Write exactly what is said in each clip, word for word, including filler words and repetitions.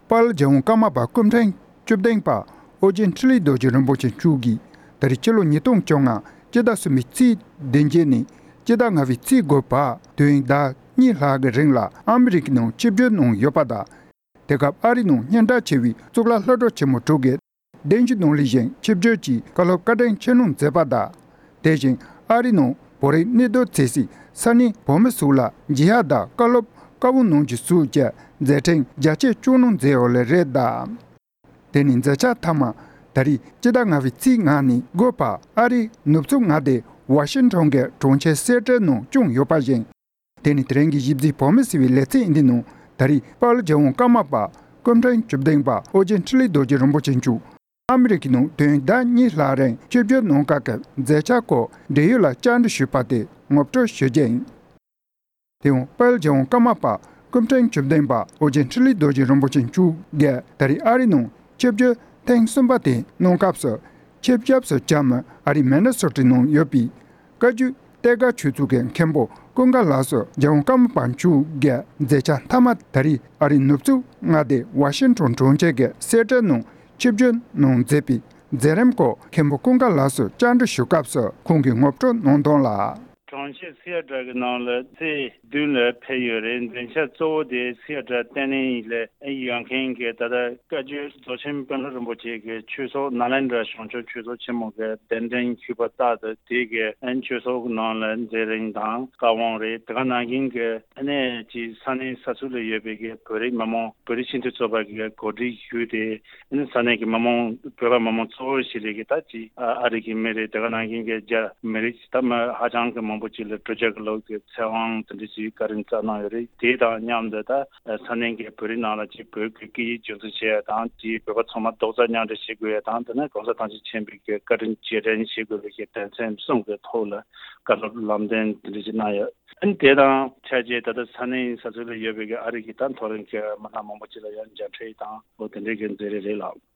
དཔལ་རྒྱལ་དབང་ཀརྨ་པ་སྐུ་ཕྲེང་བཅུ་བདུན་པ་ཨོ་རྒྱན་འཕྲིན་ལས་རྡོ་རྗེ་རིན་པོ་ཆེ་མཆོག་གིས་ད་རེས་ཕྱི་ལོ་ཉིས་སྟོང་བཅོ་ལྔ་སྤྱི་ཟླ་གསུམ་པའི་ཚེས་བདུན་ནས་སྤྱི་ཟླ་ལྔ་པའི་ཚེས་དགུ་བར་དུས་ཡུན་ཟླ་གཉིས་ལྷག་གི་རིང་ལ་ཨ་མི་རི་ཀའི་ནང་ཆིབས་བསྒྱུར་གནང་ཡོད་པ་དང་། དེ་སྐབས་ཨ་རིའི་ནང་སྙན་གྲགས་ཆེ་བའི་གཙུག་ལག་སློབ་གྲྭ་ཆེན་མོ་དྲུག་གི་གདན་ཞུ་གནང་ལས་བཞིན་ཆིབས་བསྒྱུར་གྱིས་བཀའ་སློབ་བཀའ་དྲིན་ཆེ་གནང་མཛད་པ་དང་། དེ་བཞིན་ཨ་རིའི་ནང་བོད་རིགས་གནས་སྡོད་མཛད་སའི་ས་གནས་བོད་མི་ཚོ་ལ་འཇུ་ཡག་དང་བཀའ་སློབ་བཀའ་དབང་གནང་རྒྱུ་སོགས་ཀྱི་མཛད་འཕྲིན་རྒྱ་ཆེ་བསྐྱངས་གནང་མཛད་ཡོད་ལེ་རེད་དང་། དེ་ནི་མཛད་འཆར་མཐའ་མ་ད་རེས་སྤྱི་ཟླ་ལྔ་པའི་ཚེས་ལྔ་ནས་དགུ་བར་ཨ་རིའི་ནུབ་ཕྱོགས་མངའ་སྡེ་ཝ་ཤིང་ཊོན་གྱི་གྲོང་ཁྱེར་སི་ཨེ་ཊལ་ནང་བསྐྱངས་ཡོད་པ་བཞིན། དེ་ནི་དེ་རིང་གི་གཞིས་བྱེས་བོད་མི་ཟེར་བའི་ལེ་ཚན་འདི་ནང་ད་རེས་དཔལ་རྒྱལ་དབང་ཀརྨ་པ་སྐུ་ཕྲེང་བཅུ་བདུན་པ་ཨོ་རྒྱན་འཕྲིན་ལས་རྡོ་རྗེ་རིན་པོ་ཆེ་མཆོག་ཨ་མི་རི་ཀའི་ནང་དུས་ཡུན་ཟླ་གཉིས་ལྷག་རིང་ཆིབས་བསྒྱུར་གནང་སྐབས་ཀྱི་མཛད་འཆར་སྐོར་འབྲེལ་ཡོད་ལ་བཅར་འདྲི་ཞུས་པ་དེ་ངོ་སྤྲོད་ཞུ་རྒྱུ་ཡིན། དེ་ཡང་དཔལ་རྒྱལ་དབང་ཀརྨ་པ་སྐུ་ཕྲེང་བཅུ་བདུན་པ་ཨོ་རྒྱན་འཕྲིན་ལས་རྡོ་རྗེ་རིན་པོ་ཆེ་མཆོག་གིས་ད་རེས་ཨ་རིའི་ནང་ཆིབས་བསྒྱུར་ཐེངས་གསུམ་པ་དེ་གནང་སྐབས་སུ་ཆེད་ཞབས་སུ་བཅར་མི་ཨ་རིའི་མི་ནི་སོ་ཊའི་ནང་ཡོད་པའི་བཀའ་བརྒྱུད་གཏེར་སྒར་ཆོས་ཚོགས་ཀྱི་མཁན་པོ་ཀུན་དགའ་ལགས་སུ་རྒྱལ་དབང་ཀརྨ་པ་མཆོག་གི་མཛད་འཆར་མཐའ་མ་ད་རེས་ཨ་རིའི་ནུབ་ཕྱོགས་མངའ་སྡེ་ཝ་ཤིང་ཊོན་གྲོང་ཁྱེར་གྱི་སི་ཨེ་ཊལ་ནང་ཆིབས་བསྒྱུར་གནང་མཛད་པའི་མཛད་རིམ་སྐོར་མཁན་པོ་ཀུན་དགའ་ལགས་སུ་བཅར་འདྲི་ཞུ་སྐབས་སུ་ཁོང་གིས་ངོ་སྤྲོད་གནང་དོན་ལ། གྲོང་ཁྱེར་སི་ཨེ་ཊལ་གྱི་ནང་ལ་ཚེས་བདུན་ལ་ཕེབས་ཡོད་རེད། མཛད་འཆར་གཙོ་བོ་དེ་སི་ཨེ་ཊལ་བསྟི་གནས་ལ་ཡོད་མཁན་གྱི་ད་ལྟ་བཀའ་བརྒྱུད་རྫོགས་ཆེན་དཔོན་སློབ་རིན་པོ་ཆེ་གི་ཆོས་ཚོགས་ནཱ་ལེནྡྲ་བྱང་ཆུབ་ཆོས་ཚོགས་ཆེན་མོ་གི་གདན་འདྲེན་ཞུས་པ་ལྟར་དུ་དེ་གི་ཨན་ཆོས་ཚོགས་ནང་ལ་མཛད་རིམ་དང་བཀའ་དབང་རེད། དེ་ག་ནང་བཞིན་གྱི་ཨ་ནེ་ཅི་ས་གནས་ས་ཚུགས་ལ་ཡོད་པའི་གི་བོད་རིགས་མི་མང་བོད་རིགས་སྤྱི་མཐུན་ཚོགས་པ་གི་གོ་སྒྲིག་ཞུས་ཏེ་ཨ་ནི་ས་གནས་ཀྱི་མི་མང་བོད་པ་མི་མང་གཙོ་བོ་ཞིག་ལས་ཀྱི་ད་ཅི་ཨ་ཨ་རི་གི་མི་རེད། དེ་ག་ནང་བཞིན་གྱི་རྒྱ་མི་རིགས་ད་མི་ཧ་ཅང་གི་མང་པོ་ཅིག་ལ་དྲུག་བརྒྱ་གི་ལོ་གི་ཚེ་དབང་དེ་འདྲ་ཅིག་བཀའ་དྲིན་སྩལ་གནང་ཡོད་རེད། དེ་དང་མཉམ་དུ་ད་ས་གནས་ཀྱི་བོད་རིགས་ནང་ལ་ཅིག་བོད་ཀྱི་སྐད་ཡིག་རྒྱུན་འཛིན་བྱེད་ཡ་དང་དེའི་བོད་པ་ཚང་མ་རྡོག་རྩ་མཉམ་འདྲེས་བྱེད་དགོས་ཡ་དང་དེ་ནས་གོང་ས་ཐང་ཆེན་མཁྱེན་པའི་གི་བཀའ་དྲིན་རྗེས་དྲན་བྱེད་དགོས་པའི་གི་དོན་ཚན་གསུམ་གི་ཐོག་ལ་བཀའ་སློབ་ལམ་སྟོན་དེ་འདྲ་ཅིག་གནང་ཡོད། ཨ་ནི་དེ་དང་ཆ་བྱས་ད་ལྟ་ས་གནས་ས་ཚུགས་ལ་ཡོད་པའི་གི་ཨ་རི་གི་ད་མཐོ་རིམ་གྱི་མི་སྣ་མང་པོ་ཅིག་ལ་ཡང་མཇལ་འཕྲད་དང་འོ་དེ་འདྲའི་གི་མཛད་རིམ་རེད་ལགས།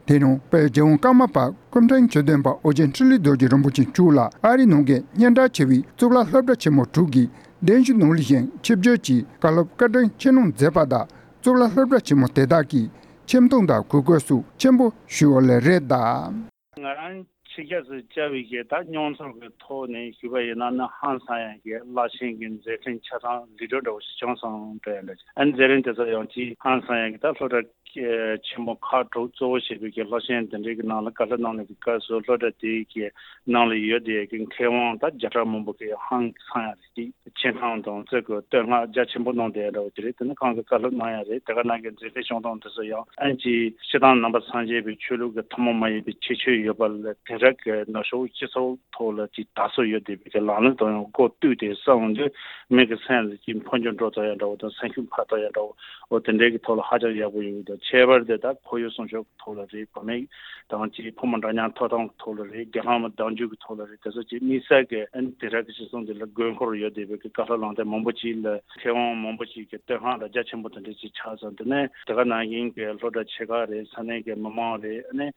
དེ་ནང་དཔལ་རྒྱལ་དབང་ཀརྨ་པ་སྐུ་ཕྲེང་བཅུ་བདུན་པ་ཨོ་རྒྱན་འཕྲིན་ལས་རྡོ་རྗེ་རིན་པོ་ཆེ་མཆོག་ལ་ཨ་རིའི་ནང་གི་སྙན་གྲགས་ཆེ་བའི་གཙུག་ལག་སློབ་གྲྭ་ཆེན་མོ་དྲུག་གི་གདན་ཞུ་གནང་ལས་བཞིན་ཆིབས་བསྒྱུར་གྱིས་བཀའ་སློབ་བཀའ་དྲིན་ཆེ་གནང་མཛད་པ་དང་གཙུག་ལག་སློབ་གྲྭ་ཆེན་མོ་དེ་དག་གིས་ཁྱིམ་སྟོང་དང་གོས་སྐོན་སོགས་ཆེན་པོ་ཞུས་ཡོད་ལེ་རེད་དང་། ང་རང་ཆིབས་ཞབས་སུ་བཅར་བའི་གི་ད་མྱོང་ཚོར་གི་ཐོག་ནས་ཞུས་པ་ཡིན་ན་ནི་ཧང་སང་ཡ་གི་རླབས་ཆེན་གི་མཛད་འཕྲིན་ཆ་ཚང་ལི་གྲོ་འདྲ་བོ་ཞིག་བྱུང་སོང་འདྲ་ཡ་འདྲ། ཨ་ནི་མཛད་རིམ་དེ་ཚོ་ཡང་ཅིག་ཧང་སང་ཡ་གི་ད་སློབ་གྲྭ་ཆེན་མོ་ཁག་དྲུག་གཙོ་བོ་བྱས་པའི་གི་སློབ་ཆེན་དེ་འདྲའི་གི་ནང་ལ་བཀའ་སློབ་གནང་ནས་གི་སྐབས་སུ་སློབ་གྲྭ་དེའི་གི་ནང་ལ་ཡོད་དེ་གི་མཁས་དབང་ད་བརྒྱ་ཕྲག་མང་པོ་གི་ཧང་སང་ཡ་རེད། ཅིག་ཆེ་མཐོང་དང་བརྩི་བཀུར་བསྟོད་བསྔགས་རྒྱ་ཆེན་པོ་གནང་བསྡད་འདྲ་བོ་དེ་རེད། དེ་ནི་ཁོང་གི་བཀའ་སློབ་གནང་ཡ་རེད། དེ་ག་ནང་གི་མཛད་རྗེས་བྱུང་སྟངས་དེ་ཚོ་ཡང་ཨན་ཅིག་སྤྱིར་བཏང་ནང་པ་སངས་རྒྱས་པའི་ཆོས་ལུགས་ཀྱི་ཐུན་མོང་མ་ཡིན་པའི་ཁྱད་ཆོས་ཡོད་པ་ལས་དེང་རབས་ཀྱི་ནུབ་ཕྱོགས་སྤྱི་ཚོགས་ཐོག་ལ་ཅིག་དར་སྲོལ་ཡོད་བསྡད་པའི་གི་ལམ་ལུགས་དང་ཡང་སྒོ་བསྟུན་ཏེ་བསམ་དུས་མི་གི་སེམས་ལ་ཅིག་འཕོ་འགྱུར་འགྲོ་ཐུབ་ཡ་འདྲ་བོ་དང་སེམས་ཤུགས་འཕར་ཐུབ་ཡ་འདྲ་བོ་འོ་དེ་འདྲའི་གི་ཐོག་ལ་ཧ་ཅང་ཡག་པོ་ཡོད་འདུག་ཁྱད་པར་དེ་ད་ཁོར་ཡུག་སྲུང་སྐྱོབ་ཐོག་ལ་རེད། བུད་མེད་དང་ཅིག་ཕོ་མོ་འདྲ་མཉམ་ཐོབ་ཐང་ཐོག་ལ་རེད། རྒྱལ་ཁམས་གདམ་རྒྱུད་ཀྱི་ཐོག་ལ་རེད། དེ་ཚོ་ཅིག་དམིགས་བསལ་གྱི་ཨ་ནི་དེ་རབས་ཀྱི་སྤྱི་ཚོགས་འདི་ལ་དགོས་མཁོར་ཡོད་བསྡད་པའི་གི་བཀའ་སློབ་ལམ་སྟོན་མང་པོ་ཅིག་ལ་མཁས་དབང་མང་པོ་ཅིག་གི་བསྟོད་བསྔགས་དང་རྒྱ་ཆེན་པོ་དེ་འདྲ་ཅིག་ཆགས་སོང་། དེ་ནས་དེ་ག་ནང་བཞིན་གྱི་སློབ་གྲྭ་ཆེ་ཁག་རེད། ས་གནས་ཀྱི་མི་མང་རེད། ཨ་ནི་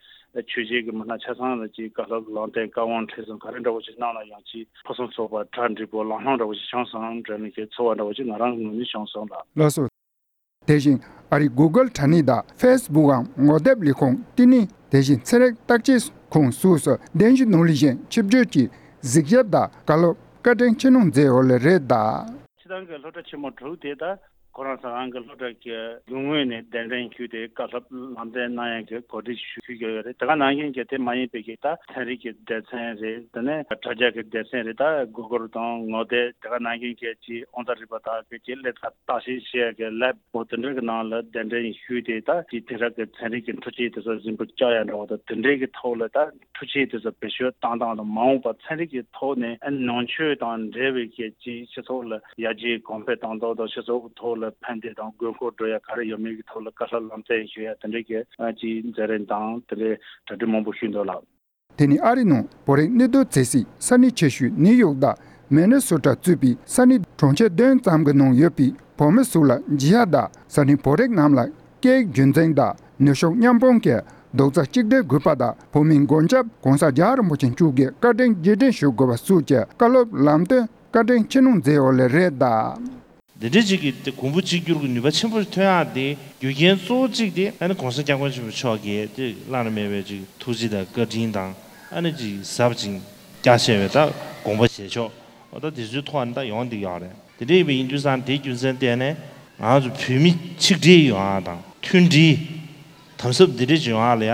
ཆོས་བྱེད་ཀྱི་མི་སྣ་ཆ་ཚང་ལ་ཅིག་བཀའ་སློབ་ལམ་སྟོན་བཀའ་དབང་ཁྲིད་གསུམ་ག་རེ་འདྲ་བོ་ཅིག་གནང་ན་ཡང་ཅིག་ཕུན་སུམ་ཚོགས་པ་གྲ་འགྲིག་པོ་ལམ་ལྷོང་འདྲ་བོ་ཅིག་བྱུང་སོང་འདྲ་ནི་གི་ཚོར་བ་འདྲ་བོ་ཅིག་ང་རང་ངོས་ནས་བྱུང་སོང་ལགས། ལགས་སོ། དེ་བཞིན་ཨ་རིའི་Google་དྲ་གནས་དང་Facebook་འམ་ངོ་དེབ་ལས་ཁུངས་བསྟི་གནས་དེ་བཞིན་ཚན་རིག་བརྟག་དཔྱད་ཁང་སོགས་སུ་གདན་ཞུ་གནང་ལས་གཞན་ཆིབས་བསྒྱུར་གྱིས་གཟིགས་ཞིབ་དང་བཀའ་སློབ་བཀའ་དྲིན་ཆེ་གནང་མཛད་ཡོད་ལེ་རེད་གདའ། སྤྱིར་བཏང་གི་སློབ་གྲྭ་ཆེན་མོ་དྲུག་དེ་དག་ཁོ་རང་ཚོ་རང་གི་སློབ་གྲྭ་གི་རྒྱུ་དངོས་ནས་གདན་འདྲེན་ཞུས་ཏེ་བཀའ་སློབ་ལམ་སྟོན་གནང་ཡག་གི་གོ་སྒྲིག་ཞུ་ཞུས་ཡོད་རེད། དེ་ག་ནང་བཞིན་གྱི་དེ་མ་ཡིན་པའི་གི་ད་ཚན་རིག་གི་སྡེ་ཚན་རེད། དེ་ནས་དྲ་རྒྱ་གི་སྡེ་ཚན་རེད། ད་Google་དང་ངོ་དེབ་དེ་ག་ནང་བཞིན་གྱི་ཅིག་དབང་རྩ་རིག་པ་དག་གི་ཅིག་སླེབས་ས་བརྟག་ཞིབ་བྱེད་ཡག་གི་ལེབ་འོ་དེ་འདྲ་གི་ནང་ལ་གདན་འདྲེན་ཞུས་ཏེ་ད་ཅིག་དེང་རབས་ཀྱི་ཚན་རིག་གི་འཕྲུལ་ཆས་དེ་ཚོ་གཟིགས་འབུལ་བཅར་ཡ་འདྲ་བོ་དང་དེ་འདྲའི་གི་ཐོག་ལ་ད་འཕྲུལ་ཆས་དེ་ཚོ་བེད་སྤྱོད་བཏང་སྟངས་དང་མ་འོངས་པ་ཚན་རིག་གི་ཐོག་ནས་ཨ་ནང་ཆོས་དང་འབྲེལ་བའི་གི་ཅིག་སྤྱི་ཚོགས་ལ་ཡར་རྒྱས་གོང་འཕེལ་གཏོང་སྟངས་དང་སྤྱི་ཚོགས་ཐོག་ལ་ཕན་བདེ་དང་དགོས་མཁོ་འགྲོ་ཡ་ག་རེ་ཡོད་མེད་ཀྱི་ཐོག་ལ་བཀའ་སློབ་ལམ་སྟོན་ཞུ་ཡ་དེ་འདྲའི་གི་ཨ་ཅིག་མཛད་རིམ་དང་དེ་འདྲའི་གྲ་སྒྲིག་མང་པོ་ཞུས་འདུག་ལགས། དེ་ནི་ཨ་རི་ནང་བོད་རིགས་གནས་སྡོད་མཛད་སའི་ས་གནས་ཆེ་ཤོས་ནིའུ་ཡོག་དང་མི་ནི་སོ་ཊ་གཙོས་པའི་ས་གནས་གྲོང་ཁྱེར་བདུན་ཙམ་གྱི་ནང་ཡོད་པའི་བོད་མི་ཚོ་ལ་འཇུ་ཡག་དང་ས་གནས་བོད་རིགས་རྣམས་ལ་སྐད་ཡིག་རྒྱུན་འཛིན་དང་ནུབ་ཕྱོགས་མཉམ་སྤུངས་ཀྱི་རྡོག་རྩ་གཅིག་སྒྲིལ་དགོས་པ་དང་བོད་མིའི་མགོན་སྐྱབས་༸གོང་ས་༸རྒྱལ་བ་རིན་པོ་ཆེ་མཆོག་གི་བཀའ་དྲིན་རྗེས་དྲན་ཞུ་དགོས་པ་སོགས་ཀྱི་བཀའ་སློབ་ལམ་སྟོན་བཀའ་དྲིན་ཆེ་གནང་མཛད་ཡོད་ལེ་རེད་གདའ། འདི་འདྲའི་ཅིག་གི་དེ་གོང་བུ་གཅིག་གྱུར་གྱི་ནུས་པ་ཆེན་པོ་ཐོན་ཡག་དེ་རྒྱུ་རྐྱེན་གཙོ་བོ་གཅིག་དེ་ཨ་ནི་༸གོང་ས་༸སྐྱབས་མགོན་ཆེན་པོ་མཆོག་གིས་དེ་བླ་ན་མེད་པའི་ཅིག་ཐུགས་རྗེ་དང་བཀའ་དྲིན་དང་ཨ་ནི་ཅིག་ཟབ་ཅིང་རྒྱ་ཆེ་བའི་ད་དགོངས་པ་བཞེས་ཕྱོགས་འོ་ད་དེ་ཚོའི་ཐོག་ནས་ད་ཡོང་བསྡད་ཡོད་རེད། དེ་འདྲ་ཡིན་པ་ཡིན་དུས་ཙང་དེའི་རྒྱུ་མཚན་བརྟེན་ནས་ང་ཚོ་བོད་མི་ཆིག་སྒྲིལ་ཡོང་ཡག་དང་མཐུན་སྒྲིལ། དམ་ཟབ་འདི་འདྲ་བྱུང་བ་ལ་ཡ།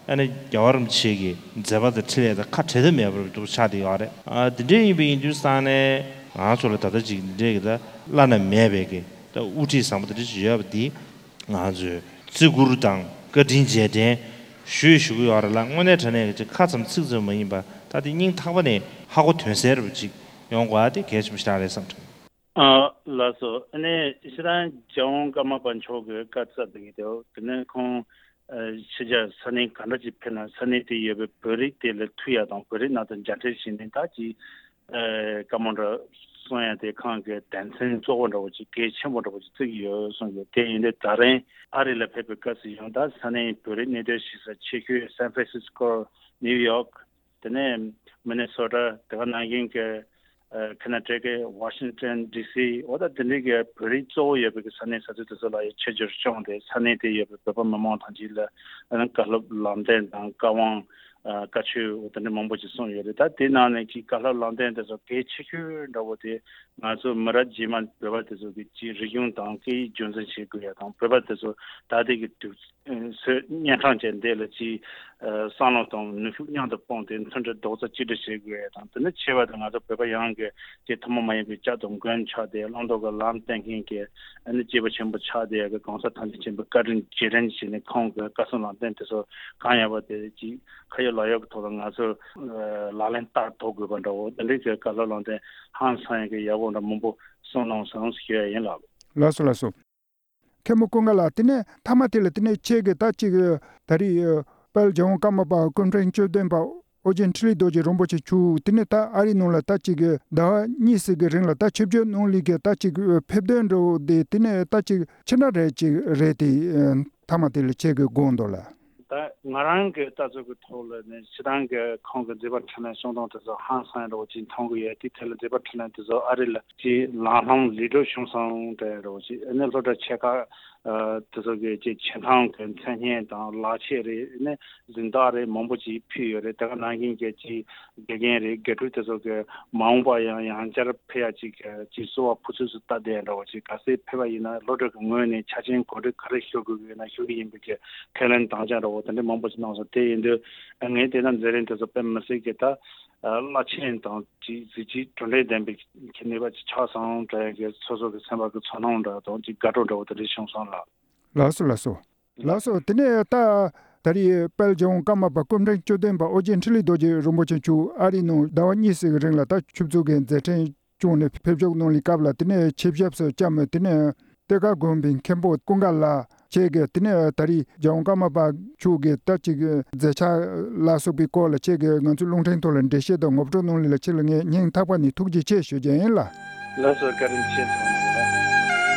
ཨ་ནི་རྒྱལ་བ་རིན་པོ་ཆེ་གི་མཛད་པ་དང་འཕྲིན་ལས་དང་ཁ་བྲལ་ཐབས་མེད་པར་འདུག་ཆགས་བསྡད་ཡོད་རེད། ཨ་འདི་འདྲ་ཡིན་པ་ཡིན་དུས་ཙང་ནས་ང་ཚོ་ལ་ད་ལྟ་ཅིག་འདི་འདྲ་གི་ད་བླ་ན་མེད་པའི་གི་ད་དབུ་ཁྲིད་བཟང་པོ་འདི་འདྲ་ཅིག་ཡོད་པ་འདི་ང་ཚོས་བརྩི་བཀུར་དང་བཀའ་དྲིན་རྗེས་དྲན་ཞུ་ཞུ་གི་ཡོད་རེད་ལ། དངོས་གནས་དྲང་གནས་ཀྱི་ཅིག་ཁ་ཙམ་ཚིག་ཙམ་མ་ཡིན་པ་ད་དེ་སྙིང་ཐག་པ་ནས་ཧ་གོ་དོན་གསལ་རུ་ཅིག་ཡོང་དགོས་ཨ་དེ་གལ་ཆེན་པོ་ཞིག་རེད་བསམ་དྲན། ཨ་ལགས་སོ། ཨ་ནི་ཕྱི་དྲང་རྒྱལ་དབང་ཀརྨ་པ་མཆོག་གིས་བཀའ་སྩལ་བསྡད་ཀྱི་འདུག་དེ་ནས་ཁོང་ཨ་ཕྱི་རྒྱལ་ས་གནས་ག་འདྲ་ཅིག་ཕེབས་ན་ས་གནས་དེ་ཡོད་པའི་བོད་རིགས་དེ་ལ་ཐུག་ཡ་དང་བོད་རིགས་ནང་དུ་མཇལ་འཕྲད་བྱས་ནས་ད་ཅིག་ཨ་བཀའ་མོལ་འདྲ་གསུང་ཡ་དེ་ཁོང་གི་དོན་ཚན་གཙོ་བོ་འདྲ་བོ་ཅིག་གལ་ཆེན་པོ་འདྲ་བོ་ཅིག་བརྩི་གི་ཡོད་གསུངས་ཡོད། དེ་ཡིན་དུས་ད་རིང་ཨ་རི་ལ་ཕེབས་པའི་སྐབས་སུ་ཡང་ད་ས་གནས་བོད་རིགས་གནས་སྡོད་བྱེད་ས་ཆེ་ཤོས་སན་ཧྥ་རན་སིས་ཀོ། ནིའུ་ཡོག་དེ་ནས་མི་ནི་སོ་ཊ། དེ་ག་ནང་བཞིན་གྱི་ཨ་ཁ་ན་ཊ་ཀ་ཝ་ཤིང་ཊོན་ཌི་སི། འོ་ད་དེ་འདྲའི་གི་བོད་རིགས་གཙོ་བོ་ཡོད་པའི་གི་ས་གནས་ས་ཚོ་དེ་ཚོ་ལ་ཡང་ཆེད་འཇོག་བྱུང་སྟེ་ས་གནས་དེ་ཡོད་པའི་བོད་པ་མི་མང་ཐམས་ཅད་ལ་ཨ་ནི་བཀའ་སློབ་ལམ་སྟོན་དང་བཀའ་དབང་ཨ་བཀའ་ཆོས་འོ་དེ་འདྲ་མང་པོ་ཞིག་གསུངས་ཡོད་རེད། ད་དེ་ནང་ནས་ཀྱི་བཀའ་སློབ་ལམ་སྟོན་དེ་ཚོ་གལ་ཆེ་ཤོས་འདྲ་བོ་དེ་ང་ཚོ་མི་རབས་རྗེས་མ་བོད་པ་དེ་ཚོ་གི་ཅིག་རིག་གཞུང་དང་སྐད་ཡིག་རྒྱུན་འཛིན་བྱེད་དགོས་ཡ་དང་བོད་པ་དེ་ཚོ་ད་ལྟའི་གི་དུས་ཚོད་གཉན་འཕྲང་ཅན་འདི་ལ་ཅིག་ཨ་བསམ་བློ་དང་ནུས་ཤུགས་མཉམ་དུ་སྤུངས་ཏེ་མཐུན་སྒྲིལ་རྡོག་རྩ་གཅིག་སྒྲིལ་བྱེད་དགོས་ཡ་དང་། དེ་ནི་ཆེ་བ་དེ་ང་ཚོ་བོད་པ་ཡོངས་ཀྱི་ཅིག་ཐུན་མོང་མ་ཡིན་པའི་སྐྱབས་དང་མགོན་ཆགས་ཏེ་བླང་དོར་གྱི་ལམ་སྟོན་མཁན་གྱི་ཨ་ནི་སྐྱེས་བུ་ཆེན་པོ་ཆགས་ཏེ་ཡ་གི་གོང་ས་ཐམས་ཅད་མཁྱེན་པའི་བཀའ་དྲིན་རྗེས་དྲན་བྱས་ནས་ཁོང་གི་བཀའ་གསུང་ལམ་སྟོན་དེ་ཚོ་གང་ཡག་པ་དེ་ཅིག་ཁ་ཡོད་ལག་ཡོད་ཀྱི་ཐོག་ལ་ང་ཚོ་ཨ་ལག་ལེན་བསྟར་ཐུབ་དགོས་པ་འདྲ་བོ་དེ་འདྲའི་གི་བཀའ་སློབ་ལམ་སྟོན་ཧང་སང་ཡ་གི་ཡག་པོ་འདྲ་མང་པོ་གསུངས་གནང་སོང་ཞུ་ཡ་ཡིན་ལགས། ལགས་སོ་ལགས་སོ། མཁན་པོ་ཀུན་དགའ་ལགས། དེ་ནས་མཐའ་མ་དེ་ལ་དེ་ནས་ཁྱེད་ཀྱིས་ད་ཅིག་ད་རེས་དཔལ་རྒྱལ་དབང་ཀརྨ་པ་སྐུ་ཕྲེང་བཅུ་བདུན་པ་ཨོ་རྒྱན་འཕྲིན་ལས་རྡོ་རྗེ་རིན་པོ་ཆེ་མཆོག་དེ་ནས་ད་ཨ་རིའི་ནང་ལ་ད་ཅིག་ཟླ་བ་གཉིས་ཙམ་གྱི་རིང་ལ་ད་ཆིབས་བསྒྱུར་གནང་ལུགས་ཀྱི་ད་ཅིག་ཕེབས་དོན་འདྲ་བོ་དེ་དེ་ནས་ད་ཅིག་ཕྱི་ན་རེད་ཅིག་རེད་དེ། མཐའ་མ་དེ་ལ་ཁྱེད་ཀྱི་དགོངས་དོན་ལ། ད་ང་རང་གི་ལྟ་ཚུལ་གྱི་ཐོག་ལ་ནི་སྤྱིར་བཏང་གི་ཁོང་གི་མཛད་པ་འཕྲིན་ལས་གསུང་སྟངས་དེ་ཚོ་ཧང་སང་འདྲ་བོ་ཅིག་མཐོང་གི་ཡོད་དེ། དེ་ལ་མཛད་པ་འཕྲིན་ལས་དེ་ཚོ་ཨ་རི་ལ་ཅིག་ལམ་ལྷོང་ལས་འགྲོ་བྱུང་སོང་འདྲ་བོ་ཅིག་ཨ་ནི་སློབ་གྲྭ་ཆེ་ཁག་ཨ་དེ་ཚོ་གི་ཅིག་ཆེ་མཐོང་གི་མཚན་སྙན་དང་ལག་ཁྱེར་རེད། ཨ་ནི་གཟེངས་རྟགས་རེད་མང་པོ་ཅིག་ཕུལ་ཡོད་རེད། དེ་ག་ནང་བཞིན་གྱི་ཅིག་དགེ་རྒན་རེད། དགེ་ཕྲུག་དེ་ཚོ་གི་མ་འོངས་པ་ཡང་ཡང་བསྐྱར་ཕེབས་ཡ་ཅིག་ཅིག་གསོལ་བ་ཕུར་ཚུགས་སུ་བཏབ་བསྡད་འདྲ་བོ་ཅིག་གལ་སྲིད་ཕེབས་པ་ཡིན་ན་སློབ་གྲྭ་གི་ངོས་ནས་ཆ་རྐྱེན་གོ་སྒྲིག་ག་རེ་ཞུ་དགོས་ཀྱི་ཡོད་ན་ཞུ་གི་ཡིན་པའི་གི་ཁས་ལེན་དམ་བཅའ་འདྲ་བོ་དེ་འདྲ་མང་པོ་ཞིག་གནང་སོང་། དེ་ཡིན་དུས་ངས་བལྟས་ན་མཛད་རིམ་དེ་ཚོ་དཔེ་མི་སྲིད་ཀྱི་ད་རླབས་ཆེན་དང་ཅིག་གཟི་བརྗིད་གྲུབ་འབྲས་ལྡན་པའི་གི་ནུས་པ་ཅིག་ཆགས་སོང་འདྲ་ཡ་གི་སོ་སོ་གི་སེམས་པ་གི་ཚོར་སྣང་འདྲ་དང་ཅིག་དགའ་སྤྲོ་འདྲ་བོ་དེ་འདྲ་བྱུང་སོང་ལགས། ལགས་སོ་ལགས་སོ། ལགས་སོ། དེ་ནས་ད་ད་རེས་དཔལ་རྒྱལ་དབང་ཀརྨ་པ་སྐུ་ཕྲེང་བཅུ་བདུན་པ་ཨོ་རྒྱན་འཕྲིན་ལས་རྡོ་རྗེ་རིན་པོ་ཆེ་མཆོག་ཨ་རིའི་ནང་ཟླ་བ་གཉིས་ཙམ་གྱི་རིང་ལ་ད་ཆིབས་བསྒྱུར་གྱི་མཛད་འཕྲིན་བསྐྱངས་ནས་ཕེབས་ཞུགས་གནང་ལུགས་སྐབས་ལ་དེ་ནས་ཆིབས་ཞབས་སུ་བཅར་མི་དེ་ནས་གཏེར་ཁ་དགོན་པའི་མཁན་པོ་ཀུན་དགའ་ལགས་བཅས་ཀྱིས་དེ་ནས་ད་རེས་རྒྱལ་དབང་ཀརྨ་པ་མཆོག་གི་ད་ཅིག་མཛད་འཆར་ལ་སོགས་པའི་སྐོར་ལ་བཅས་ཀྱིས་ང་ཚོའི་རླུང་འཕྲིན་ཐོག་ལ་འགྲེལ་བཤད་དང་ངོ་སྤྲོད་གནང་ལུགས་ལ་ཁྱེད་ལ་ངས་སྙིང་ཐག་པ་ནས་ཐུགས་རྗེ་ཆེ་ཞུ་རྒྱུ་ཡིན་ལགས། ལགས་སོ། བཀའ་དྲིན་ཆེ་ཐུགས་རྗེ་ཆེ།